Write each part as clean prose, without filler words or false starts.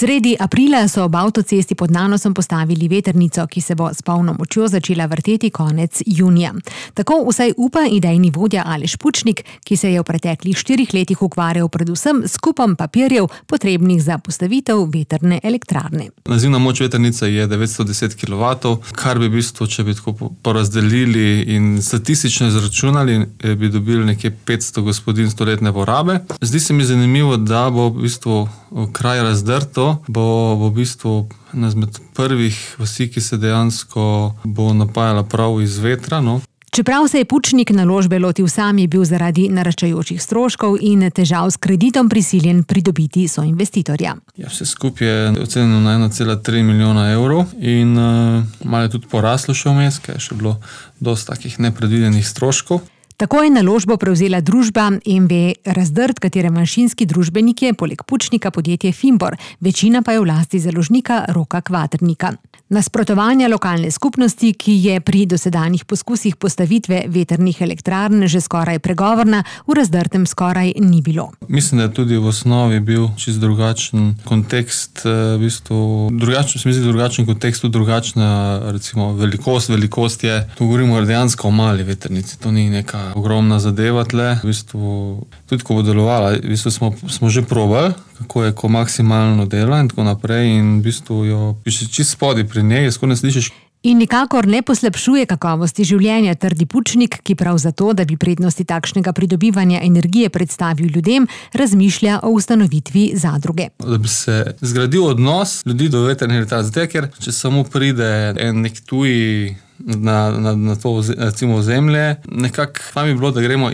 Sredi aprila so ob avtocesti pod Nanosom postavili vetrnico, ki se bo s polno močjo začela vrteti konec junija. Tako vsaj upa idejni vodja Aleš Pučnik, ki se je v preteklih 4 letih ukvarjal predvsem s kupom papirjev, potrebnih za postavitev vetrne elektrarne. Nazivna moč vetrnice je 910 kW, kar bi v bistvu, če bi tako porazdelili in statistično izračunali, bi dobili nekje 500 gospodinjstv letne porabe. Zdi se mi zanimivo, da bo v bistvu kraj Razdrto, bo v bistvu ena izmed prvih vasi, ki se dejansko bo napajala prav iz vetra. Čeprav se je Pučnik naložbe lotil sam, je bil zaradi naraščajočih stroškov in težav s kreditom prisiljen pridobiti soinvestitorja. Vse skupaj je ocenjeno na 1,3 milijona evrov in malo je tudi poraslo še vmes, ker je še bilo dosti takih nepredvidenih stroškov. Tako je naložbo prevzela družba MV Razdrt, katere manjšinski družbenik je poleg Pučnika podjetje Fimbor, večina pa je v lasti založnika Roka Kvaternika. Nasprotovanja lokalne skupnosti, ki je pri dosedanjih poskusih postavitve vetrnih elektrarn že skoraj pregovorna, v Razdrtem skoraj ni bilo. Mislim, da je tudi v osnovi bil čisto drugačen kontekst, drugačen kontekst, drugačna recimo velikost je, tu govorimo dejansko o mali vetrnici, to ni neka ogromna zadeva tle. V bistvu, tudi ko bo delovala, v bistvu smo že probali, kako je, ko maksimalno dela in tako naprej in v bistvu jo piše čisto spodaj pri njej, skoro ne slišiš. In nikakor ne poslabšuje kakovosti življenja, trdi Pučnik, ki prav zato, da bi prednosti takšnega pridobivanja energije predstavil ljudem, razmišlja o ustanovitvi zadruge. Da bi se zgradil odnos ljudi do vetrne elektrarne, zato ker če samo pride nek tuji na to recimo ozemlje, nekako pa bi bilo, da gremo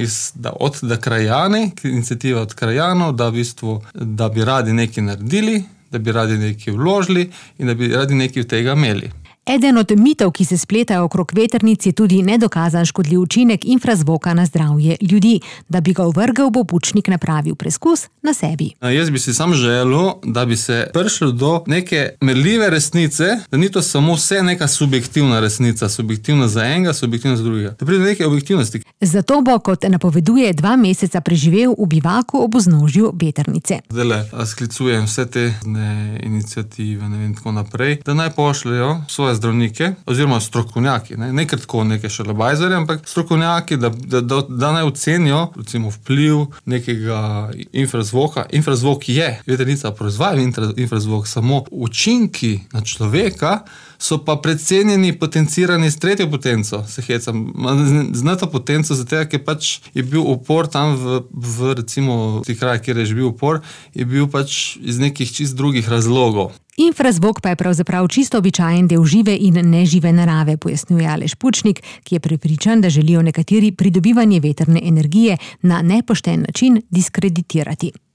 od krajani, iniciativa od krajanov, da bi radi nekaj naredili, da bi radi nekaj vložili in da bi radi nekaj od tega imeli. Eden od mitov, ki se spletajo okrog vetrnic, je tudi nedokazan škodljiv učinek infrazvoka na zdravje ljudi. Da bi ga ovrgel, bo Pučnik napravil preskus na sebi. Jaz bi si sam želel, da bi se prišlo do neke merljive resnice, da ni to samo vse neka subjektivna resnica, subjektivna za enega, subjektivna za drugega. Da pride do neke objektivnosti. Zato bo, kot napoveduje, 2 meseca preživel v bivaku ob vznožju vetrnice. Zdajle sklicujem vse te iniciative, tako naprej, da naj pošljajo svoje zdravnike, oziroma strokovnjaki, ne kratko neke šalabajzerje, ampak strokovnjaki, da naj ocenijo recimo vpliv nekega infrazvoka. Infrazvok je, vetrnica proizvaja infrazvok, samo učinki na človeka so pa precenjeni, potencirani s 3. potenco. Se hecam, zna to potenco, zato ker pač je bil upor tam v recimo tih krajih, kjer je že bil upor, je bil pač iz nekih čist drugih razlogov. Infrazvok pa je pravzaprav čisto običajen del žive in nežive narave, pojasnjuje Aleš Pučnik, ki je prepričan, da želijo nekateri pridobivanje vetrne energije na nepošten način diskreditirati.